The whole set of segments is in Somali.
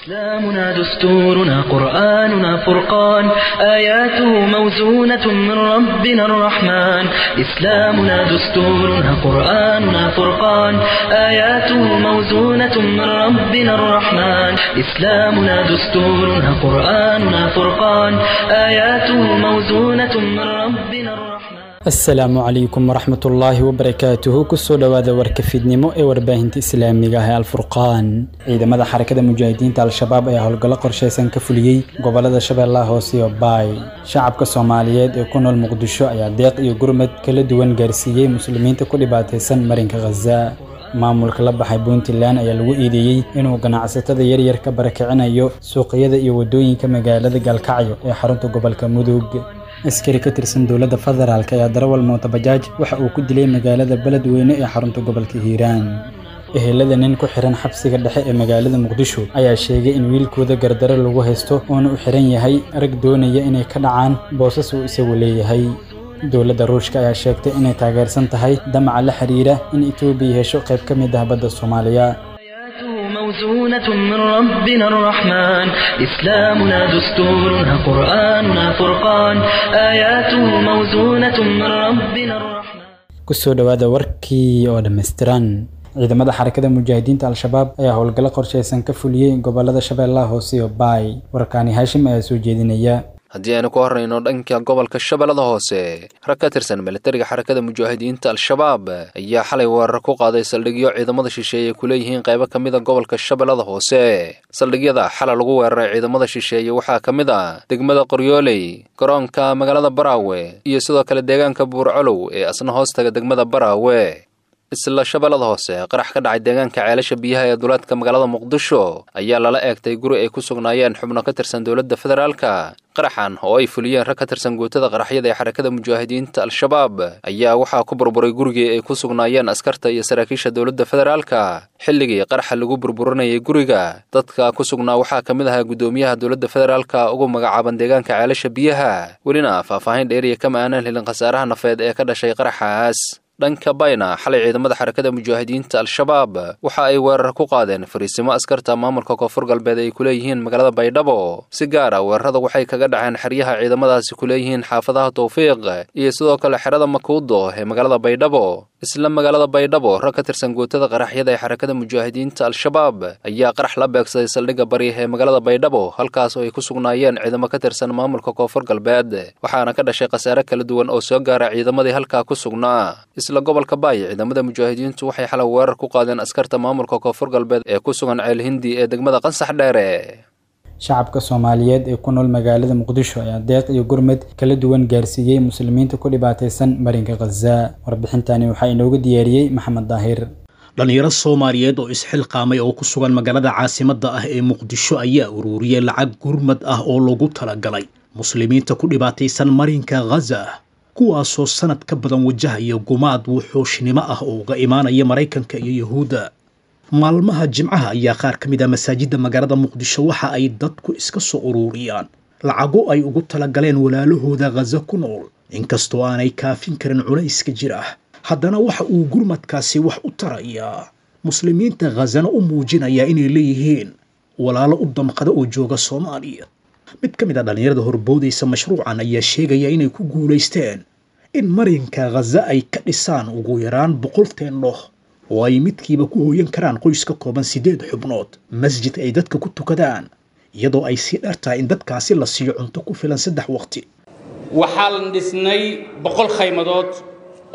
إسلامنا دستورنا قرآننا فرقان آياته موزونة من ربنا الرحمن إسلامنا دستورنا قرآننا فرقان آياته موزونة من ربنا الرحمن إسلامنا دستورنا قرآننا فرقان آياته موزونة من ربنا الرحمن. Asalaamu calaykum waraxmatullaahi wabarakaatuhu. Kusoo dhowaada warka fiidnimo ee warbaahinta islaamiga ah ee Alfurqaan. Ciidamada Xarakada Mujaahidiinta Al-Shabaab ayaa howlgallo qorshaysan ka fuliyey gobolada Shabeellaha Hoose iyo Baay. Shacabka Soomaaliyeed ee ku nool Muqdisho ayaa deeq iyo gurmad kala duwan gaarsiiyey muslimiinta ku dhibaataysan marinka Khaza. Maamulka la baxay Puntland ayaa lagu eedeeyey inuu ganacsatada yaryar ka barakicinayo suuqyada iyo wadooyinka magaalada Gaalkacyo ee xarunta gobolka Mudug. Askari ka tirsan dowladda federaalk ayaa darawal mooto bajaaj waxa uu ku dilay magaalada Beledweyne ee xarunta gobolka Hiiraan. Ehelada nin ku xiran xabsiga dhexe ee magaalada Muqdisho ayaa sheegay in wiilkooda gardaro lagu haysto oona u xiran yahay rag doonaya inay ka dhacaan boosas uu isagu leeyahay. Dowladda Ruushka ayaa sheegtay inay taageersan tahay damaca la xiriira in Itoobiya hesho qayb ka mid ah badda Soomaaliya. موزونة من ربنا الرحمن إسلامنا دستورنا قرآننا فرقان آياته موزونة من ربنا الرحمن. Kusoo dhowaada warkii oo dhammaystiran. Ciidamada Xarakada Mujaahidiinta Al-Shabaab ayaa howlgallo qorshaysan ka fuliyey gobolada Shabeellaha Hoose iyo Baay. Warkaani Haashim ayaa soo jeedinaya. Haddii aynu ku horreyno dhanka gobolka Shabeellada Hoose, rag ka tirsan militariga Xarakada Mujaahidiinta Al-Shabaab ayaa xalay weerar ku qaaday saldhigyo ciidamada shisheeye ku leeyihiin qaybo ka mid a gobolka Shabeellada Hoose. Saldhigyada xalay lagu weeraray ciidamada shisheeye waxaa ka mid ah degmada Qoryooley, garoonka magaalada Baraawe iyo sidoo kale deegaanka Buurcolow ee asna hoostaga degmada Baraawe. Isla Shabeellada Hoose, qarax ka dhacay deegaanka Ceelasha Biyaha ee duleedka magaalada Muqdisho ayaa lala eegtay guri ay ku sugnaayeen xubno ka tirsan dowladda federaalka. Qaraxan oo ay fuliyeen rag ka tirsan guutada qaraxyada ee Xarakada Mujaahidiinta Al-Shabaab ayaa waxaa ku burburay gurigii ay ku sugnaayeen askarta iyo saraakiisha dowladda federaalka. Xilligii qaraxa lagu burburinayay guriga, dadka ku sugnaa waxaa ka mid ahaa guddoomiyaha dowladda federaalka ugu magacaaban deegaanka Ceelasha Biyaha. Welina faahfaahin dheeriya kama aanan helin khasaaraha nafeed ee ka dhashay qaraxaas. Dhanka Bayna, xalay ciidamada Xarakada Mujaahidiinta Al-Shabaab waxa ay weerar ku qaadeen fariisimo askarta maamulka Koonfur Galbeed ay ku leeyihiin magaalada Baydhabo. Si gaar ah weerarada waxay kaga dhaceen xeryaha ciidamadaasi ku leeyihiin xaafadaha Towfiiq iyo sidoo kale xerada Makuudo ee magaalada Baydhabo. Isla magaalada Baydhabo, rag ka tirsan guutada qaraxyada ee Xarakada Mujaahidiinta Al-Shabaab ayaa qarax la beegsaday saldhigga bari ee magaalada Baydhabo, halkaas oo ay ku sugnaayeen ciidamo ka tirsan maamulka Koonfur Galbeed, waxaana ka dhashay khasaare kala duwan oo soo gaara ciidamadii halkaa ku sugnaa. Isla gobolka Baay, ciidamada mujaahidiintu waxay xalay weerar ku qaadeen askarta maamulka Koonfur Galbeed ee ku sugan Ceel Hindi ee degmada Qansax Dheere. Shacabka Soomaaliyeed ee ku nool magaalada Muqdisho ayaa deeq iyo gurmad kala duwan gaarsiiyey muslimiinta ku dhibaataysan marinka Khaza. Warbixintani waxaa inoogu diyaariyey Maxamed Daahir. Dhalinyaro Soomaaliyeed oo isxilqaamay oo ku sugan magaalada caasimadda ah ee Muqdisho ayaa ururiyey lacag gurmad ah oo loogu talagalay muslimiinta ku dhibaataysan marinka Khaza, kuwaasoo sanad ka badan wajahaya gumaad wuxuushnimo ah oo uga imaanaya Maraykanka iyo Yuhuudda. Maalmaha Jimcaha ayaa qaar ka mid ah masaajidda magaalada Muqdisho waxa ay dadku iska soo ururiyaan lacago ay ugu talagaleen walaalahooda Khaza ku nool. Inkastoo aanay kaafin karin culayska jira, haddana waxa uu gurmadkaasi wax u tarayaa muslimiinta Khazana, u muujinayaa inay leeyihiin walaalo u damqada oo jooga Soomaaliya. Mid ka mid ah dhallinyarada horboodaysa mashruucan ayaa sheegaya inay ku guulaysteen in marinka Khaza ay ka dhisaan ugu yaraan 100 teendho oo ay midkiiba ku hooyan karaan qoys ka kooban 8 xubnood, masjid ay dadka ku tukadaan, iyadoo ay sii dheer tahay in dadkaasi la siiyo cunto ku filan 3 waqti. Waxaan dhisnay 100 khaymadood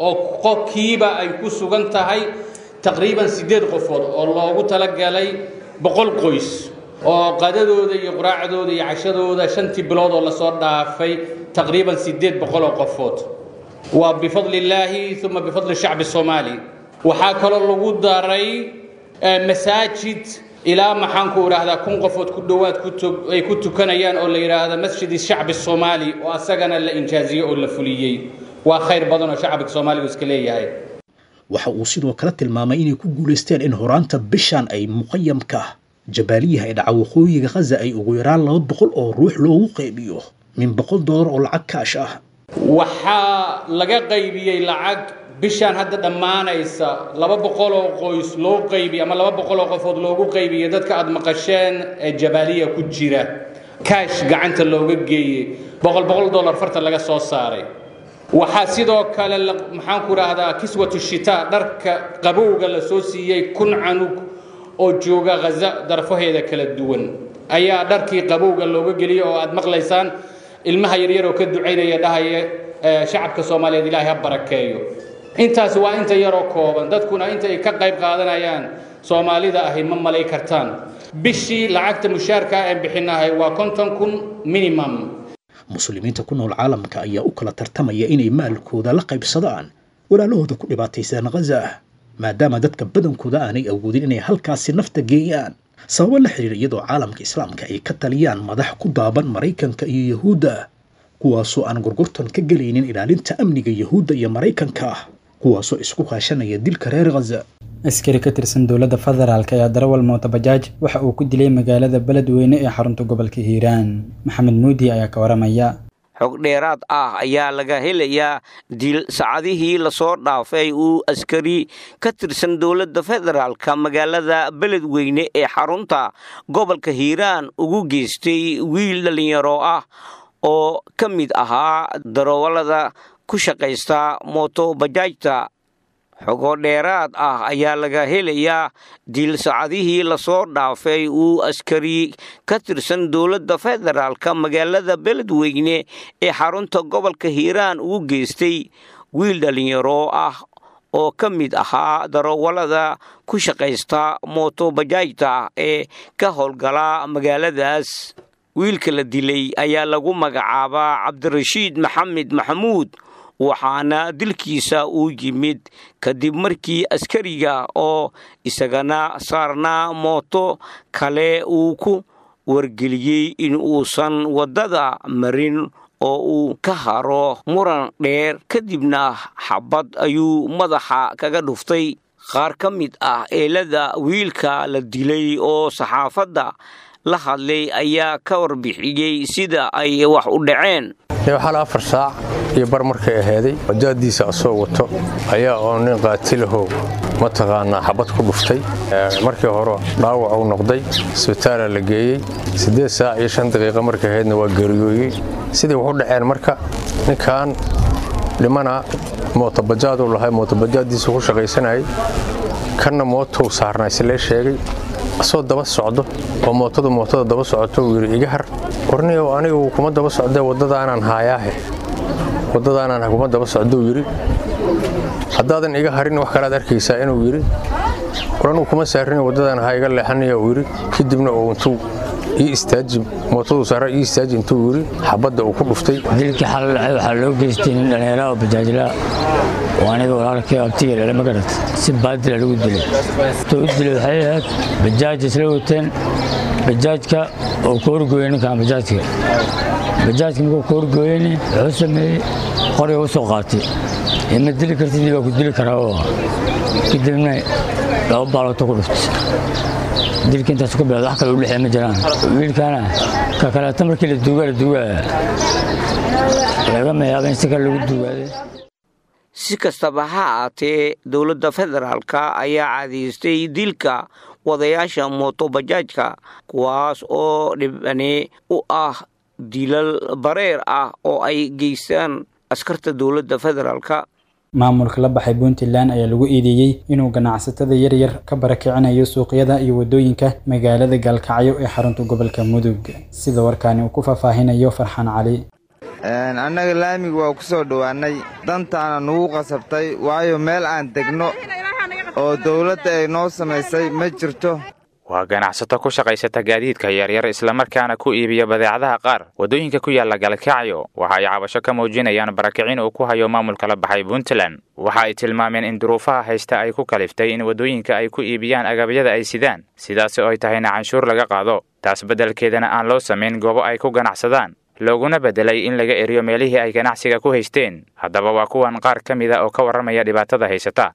oo qofkiiba ay ku sugan tahay taqriiban 8 qofood, oo loogu talagalay 100 qoys oo qadadooda iyo quraacdooda iyo cashadooda 5tii bilood oo lasoo dhaafay taqriiban 800 oo qofood. Waa bifadli illaahi uma bifadli shacbi soomaali. Waxaa kaloo lagu daray masaajid ilaa maxaanku idhaahdaa 1000 qofood ku dhowaad ay ku tukanayaan oo la yidhaahda Masjid Shacbi Soomaali, oo asagana la injaaziyey oo la fuliyey. Waa khayr badan oo shacbiga Soomaaligu iska leeyahay. Waxa uu sidoo kale tilmaamay inay ku guulaysteen in horaanta bishan ay muqayamka Jabaaliyaha ee dhaca waqooyiga Khaza ay ugu yaraan 200 oo ruux loogu qaybiyo min $100 oo lacag kaash ah. Waxaa laga qaybiyey lacag Bishaan hadda dhammaanaysa 200 oo qoys loo qaybiyey ama 200 oo qofood loogu qaybiyey dadka aad maqasheen ee Jabaaliya ku jira, kaash gacanta looga geeyey, $100 farta laga soo saaray. Waxaa sidoo kale, maxaan ku rahdaa, kiswatu shitaa, dharka qabowga la soo siiyey 1000 canug oo jooga Ghaza darfaheeda kala duwan ayaa dharkii qabowga looga geliyey, oo aad maqlaysaan ilmaha yaryar oo ka ducaynaya, dhahaya shacabka Soomaaliyeed Ilaahay ha barakeeyo. Intaas waa inta yaroo kooban. Dadkuna inta ay ka qayb qaadanayaan Soomaalida ahi ma malay kartaan. Bishii lacagta mushaarka aan bixinahay waa 50,000 minimum. Muslimiinta ku nool caalamka ayaa u kala tartamaya inay maalkooda la qaybsadaan walaalahooda ku dhibaataysan Ghaza, maadaama dadka badankooda aanay awoodin inay halkaasi nafta geeyaan sababo la xiriira, iyadoo caalamka Islaamka ay ka taliyaan madax ku daaban Maraykanka iyo Yahuudda, kuwaasoo aan gorgortan ka gelaynin ilaalinta amniga Yahuudda iyo Maraykanka, kuwaasoo isku kaashanaya dilka reer Ghaza. Askari ka tirsan dowladda federaalk ayaa darawal mootobajaaj waxa uu ku dilay magaalada Beledweyne ee xarunta gobolka Hiiraan. Maxamed Muudi ayaa ka waramaya. Xog dheeraad ah ayaa laga helayaa dil saacadihii lasoo dhaafay uu askari ka tirsan dowladda federaalka magaalada Beledweyne ee xarunta gobolka Hiiraan ugu geystay wiil dhallinyaro ah oo ka mid ahaa darawallada ku shaqaysta mootobajaajta. Xogo dheeraad ah ayaa laga helayaa dil saacadihii lasoo dhaafay uu askari ka tirsan dowladda federaalka magaalada Beledweyne ee xarunta gobolka Hiiraan ugu geystay wiil dhallinyaro ah oo ka mid ahaa darawallada ku shaqaysta mootobajaajta ee ka howlgala magaaladaas. Wiilka la dilay ayaa lagu magacaabaa Cabdirashiid Maxamed Maxamuud, waxaana dilkiisa uu yimid kadib markii askariga oo isagana saarnaa mooto kale uu ku wargeliyey in uusan waddada marin oo uu ka haro. Muran dheer kadibna xabad ayuu madaxa kaga dhuftay. Qaar ka mid ah eelada wiilka la dilay oo saxaafadda la hadlay ayaa ka warbixiyey sida ay wax u dhaceen. Xal 4 saac iyo bar markay aheeday, bajaadiisa asoo wato ayaa oo nin qaatilahow mataqaanaa xabad ku dhuftay. Markii hore dhaawac uu noqday, isbitaala la geeyey. 8 saac iyo 5 daqiiqo markay ahaydna waa geeriyooyey. Sidii wax u dhaceen marka, ninkan dhimana mootobajaaduu lahay, mootobajaadiisa ku shaqaysanayay, kanna mootou saarnaa silee sheegay. Asoo daba socdo oo mootadu mootada daba socoto uu yidhi, "Iga har warniyow, anigu kuma daba socdee, waddadaanaan haayaahe, waddadaanaan kuma daba socdou yidhi. Haddaadan iga harin wax kalaad arkaysaa," inuu yidhi. "War anugu kuma saarin, waddadaan ha iga leexanaya," uu yidhi. Kadibna uu intuu "Ii istaaji," mootadu saara, "Ii istaaji," intuu yidhi, xabadda uu ku dhuftay. Dilkii xal dhacay waxaa loo geystay nin dhallinyaro oo bajaajlaa oo aniga walaalkay abtiga dhale, ma garat, si baadila lagu dilay. Intuu u dilay waxay ahayd bajaaj isla wateen, bajaajka oo ka horgooyey ninkan bajaajka. Bajaajka markuu ka horgooyeyni wuxuu sameeyey qoriga u soo qaatay, "Ima dili kartid, baa ku dili karaa," oo kadibna 2 baalooto ku dhuftay. Dilka intaas ku bilowda, wax kale u dhexeeya ma jiraan. Wiilkana ka kaleeto markii la duugaa la duugaa lagama yaaba in si kale lagu duugaaday. Si kastaba ha ahaatee, dowladda federaalka ayaa caadaystay dilka wadayaasha mootobajaajka, kuwaas oo dhibane u ah dilal bareer ah oo ay geystaan askarta dowladda federaalka. Maamulka la baxay Puntland ayaa lagu eedeeyey inuu ganacsatada yaryar ka barakicinayo suuqyada iyo waddooyinka magaalada Gaalkacyo ee xarunta gobolka Mudug, sida warkaani uu ku faahfaahinayo Farxaan Cali. Annaga laamiga waa ku soo dhowaannay, dantaana nugu qasabtay, waayo meel aan degno oo dawladda ay noo samaysay ma jirto. Waa ganacsato ku shaqaysata gaadiidka yaryar, islamarkaana ku iibiya badeecadaha qaar waddooyinka ku yaalla Galkacyo. Waxa ay cabasho ka muujinayaan barakicin uu ku hayo maamulka la baxay Puntland. Waxa ay tilmaameen in duruufaha haysta ay ku kaliftay in waddooyinka ay ku iibiyaan agabyada ay sidaan, sidaasi oo ay tahayna canshuur laga qaado, taas beddelkeedana aan loo samayn goobo ay ku ganacsadaan, looguna beddelay in laga eriyo meelihii ay ganacsiga ku haysteen. Haddaba waa kuwan qaar ka mida oo ka warramaya dhibaatada haysata.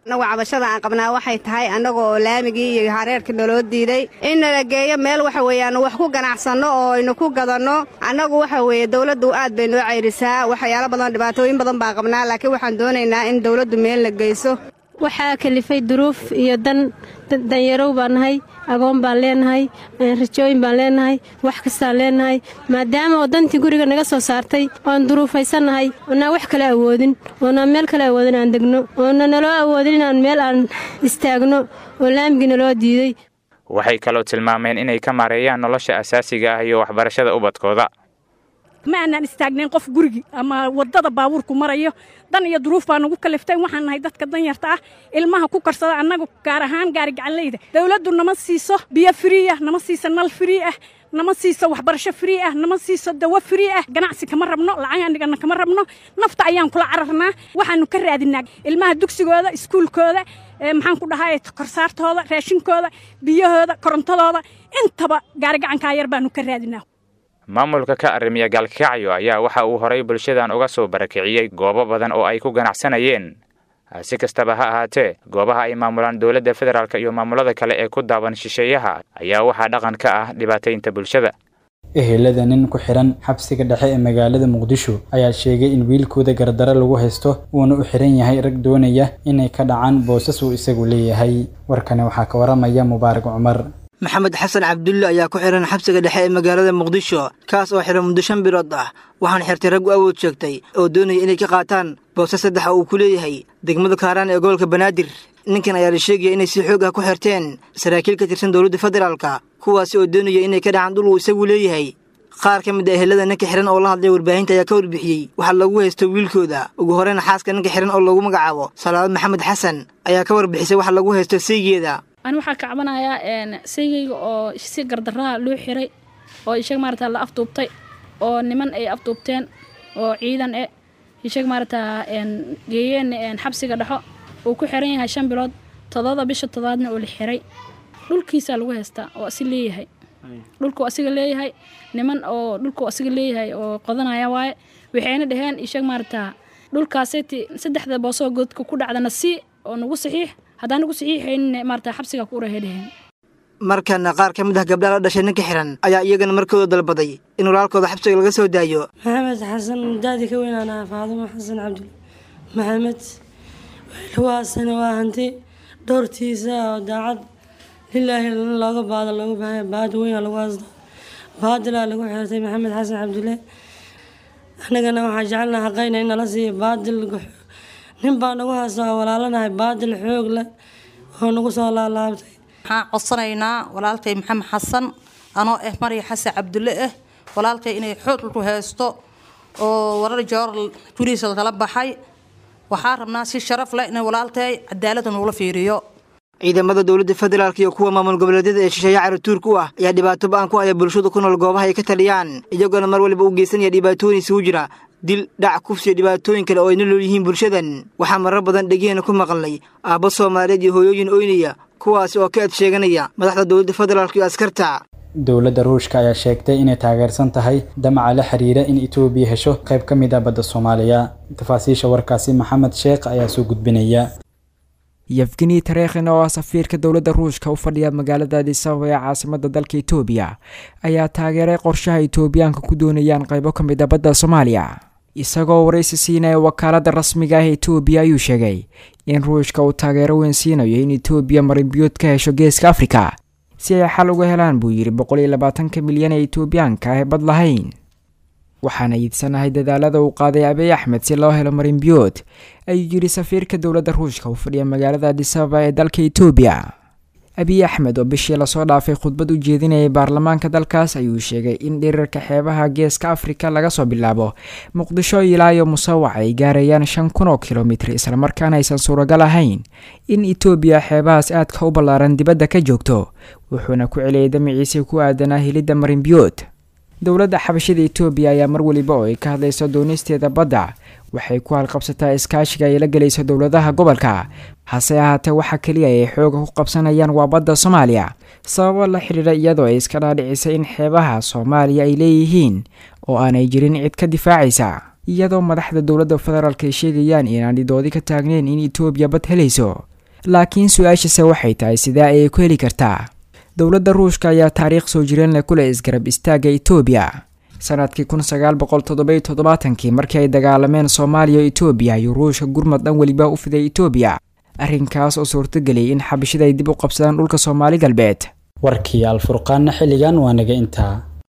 Annagu cabashada aan qabnaa waxay tahay annagoo laamigii iyo hareerkii naloo diiday in nala geeyo meel waxa weeye aanu wax ku ganacsanno oo aynu ku gadanno. Annagu waxa weeye dowladdu aad bay noo cayrisaa, waxyaalo badan, dhibaatooyin badan baan qabnaa, laakiin waxaan doonaynaa in dowladdu meel la geyso. Waxaa kalifay duruuf iyo dan danyarow baan nahay, agoon baan leenahay, rajooyin baan leenahay, wax kastaan leenahay. Maadaama oo dantii guriga naga soo saartay oon duruufaysannahay, oonaan wax kale awoodin, oonaan meel kale awoodin aan degno, oona naloo awoodin inaan meel aan istaagno oo laamigii naloo diiday. Waxay kaloo tilmaameen inay ka maareeyaan nolosha asaasiga ah iyo waxbarashada ubadkooda. Ma aanaan istaagnayn qof gurigi ama waddada baabuurku marayo. Dan iyo duruuf baa nagu kaliftay. Waxaan nahay dadka danyarta ah, ilmaha ku karsada annagu, gaar ahaan gaari gacanleyda. Dowladdu nama siiso biyo free ah, nama siiso nal free ah, nama siiso waxbarasho free ah, nama siiso dawo free ah. Ganacsi kama rabno, lacag aan dhigana kama rabno, nafta ayaan kula cararnaa. Waxaanu ka raadinaa ilmaha dugsigooda, iskuulkooda, maxaan ku dhahay, korsaartooda, raashinkooda, biyahooda, korontadooda, intaba gaari gacankaa yar baanu ka raadinaa. Maamulka ka arrimiya Gaalkacyo ayaa waxa uu horay bulshadan uga soo barakiciyey goobo badan oo ay ku ganacsanayeen. Si kastaba ha ahaatee, goobaha ay maamulaan dowladda federaalk iyo maamulada kale ee ku daaban shisheeyaha ayaa waxaa dhaqan ka ah dhibaataynta bulshada. Ehelada nin ku xiran xabsiga dhexe ee magaalada Muqdisho ayaa sheegay in wiilkooda gardaro lagu haysto, uuna u xiran yahay rag doonaya inay ka dhacaan boosas uu isagu leeyahay. Warkani waxaa ka waramaya Mubaarak Cumar. Maxamed Xasan Cabdulle ayaa ku xiran xabsiga dhexe ee magaalada Muqdisho, kaas oo xiran muddo 5 bilood ah. Waxaana xirtay rag u awood sheegtay oo doonaya inay ka qaataan boose saddex oo uu ku leeyahay degmada Kaaraan ee gobolka Banaadir. Ninkan ayaa la sheegaya inay si xoog ah ku xirteen saraakiil ka tirsan dowladda federaalka, kuwaasi oo doonaya inay ka dhacaan dhul uu isagu leeyahay. Qaar ka mid a ehelada ninka xiran oo la hadlay warbaahinta ayaa ka warbixiyey waxaa lagu haysto wiilkooda. Ugu horeyna xaaska ninka xiran oo lagu magacaabo Salaad Maxamed Xasan ayaa ka warbixisay waxa lagu haysto saygeeda. Ani waxaa ka cabanayaa saygayga oo si gardarraha loo xiray, oo ishag maarata la afduubtay, oo niman ay afduubteen oo ciidan e ishag maarata geeyeen xabsiga dhexo, uu ku xiran yahay 5 bilood, 7da bisha toddobaadna oo la xiray. Dhulkiisaa lagu haystaa oo asi leeyahay, dhulkuu asiga leeyahay, niman oo dhulkuu asiga leeyahay oo qodanaya waaye. Waxayna dhaheen ishag maarata dhulkaaseti saddexda boosoo godka ku dhacdana si oo nagu saxiix, haddaan nagu saxiixaynin maarata xabsiga ku urahay dhaheen. Markana qaar ka mid ah gabdhaha la dhashay ninka xiran ayaa iyagana markooda dalbaday in walaalkooda xabsiga laga soo daayo. Maxamed Xasan daadi ka weynaanaa Faadimo Xasan Cabdul Maxamed. Lagu waa hanti dhowrtiisa oo daacad lilaahi looga baado loogu baahaya, baadi weyn lagu haystaa, baadilaa lagu xirtay Maxamed Xasan Cabdulle. Annagana waxaa jecelnaha xaqayna in nala siiyo. Baadil nin baa nagu haysta oo walaalanahay, baadil xoog leh oo nagu soo laalaabtay. Waxaan codsanaynaa walaalkay Maxamed Xasan, anoo ah Marya Xasan Cabdulle ah, walaalkay inay xoog ku haysto oo warar joor gurigiisa lagala baxay. Waxaa rabnaa si sharaf leh in walaalkay cadaaladda nagula fiiriyo. Ciidamada dowladda federaalk iyo kuwa maamul goboleedyada ee shisheeye caratuurka u ah ayaa dhibaato ba-an ku haya bulshada ku nool goobaha ay ka taliyaan, iyagoona mar waliba u geysanaya dhibaatooyin isugu jira dil, dhac, kufsi iyo dhibaatooyin kale oo ay nolol yihiin bulshadan. Waxaa marar badan dhegeena ku maqalnay aabbo Soomaaliyeed iyo hooyooyin oynaya, kuwaasi oo ka ed sheeganaya madaxda dowladda federaalk iyo askarta. Dowladda Ruushka ayaa sheegtay inay taageersan tahay damaca la xiriira in Itoobiya hesho qayb ka mid ah badda Soomaaliya. Tafaasiisha warkaasi Maxamed Sheekh ayaa soo gudbinaya. Yevgeni Tarekhin oo ah safiirka dowladda Ruushka u fadhiya magaalada Addis Ababa ee caasimada dalka Itoobiya ayaa taageeray qorshaha Itoobiyaanka ku doonayaan qaybo ka mid ah badda Soomaaliya. Isagoo waraysi siinaya wakaaladda rasmiga ah ee Itoobiya ayuu sheegay in Ruushka uu taageero weyn siinayo in Itoobiya marinbiyood ka hesho geeska Afrika si ay xal uga helaan, buu yidhi, 120ka milyan ee Itoobiyaanka ah ee bad lahayn. Waxaana iidsanahay dadaalada uu qaaday Abiy Axmed si loo helo marinbiyood, ayuu yidhi safiirka dowladda Ruushka u fadhiya magaalada Addis Ababa ee dalka Itoobiya. Abiy Axmed oo bishii lasoo dhaafay khudbad u jeedinayay baarlamaanka dalkaas ayuu sheegay in dhirarka xeebaha geeska Afrika laga soo bilaabo Muqdisho ilaa iyo Musawac ay gaarayaan 5000 oo kilomitr, islamarkaana aysan suuragal ahayn in Itoobiya xeebahaas aadka u ballaaran dibadda ka joogto. Wuxuuna ku celiyay damaciisii ku aadanaa helidda marinbiyood. Dowladda xabashida Itoobiya ayaa mar waliba oo ay ka hadlayso doonisteeda badda waxay ku halqabsataa iskaashiga ay la gelayso dowladaha gobolka, hase ahaatee waxa keliya ay xooga ku qabsanayaan waa badda Soomaaliya, sababo la xiriira iyadoo ay iska dhaadhicisay in xeebaha Soomaaliya ay leeyihiin oo aanay jirin cid ka difaacaysa, iyadoo madaxda dowladda federaalk ay sheegayaan inaan dhidoodi ka taagneyn in Itoobiya bad helayso. Laakiin su-aashase waxay tahay, sidee ayay ku heli kartaa? Dowladda Ruushka ayaa taariikh soo jireen leh kuleh isgarab istaagga Itoobiya. Sanadkii 1977-kii, markii ay dagaalameen Soomaaliya o Itoobiya, ayuu Ruushka gurmad dhan weliba u fiday Itoobiya, arrinkaas oo suurtageliyay in Xabashida ay dib u qabsadaan dhulka Soomaali Galbeed. Warkii Alfurqaanna xilligan waa naga intaa.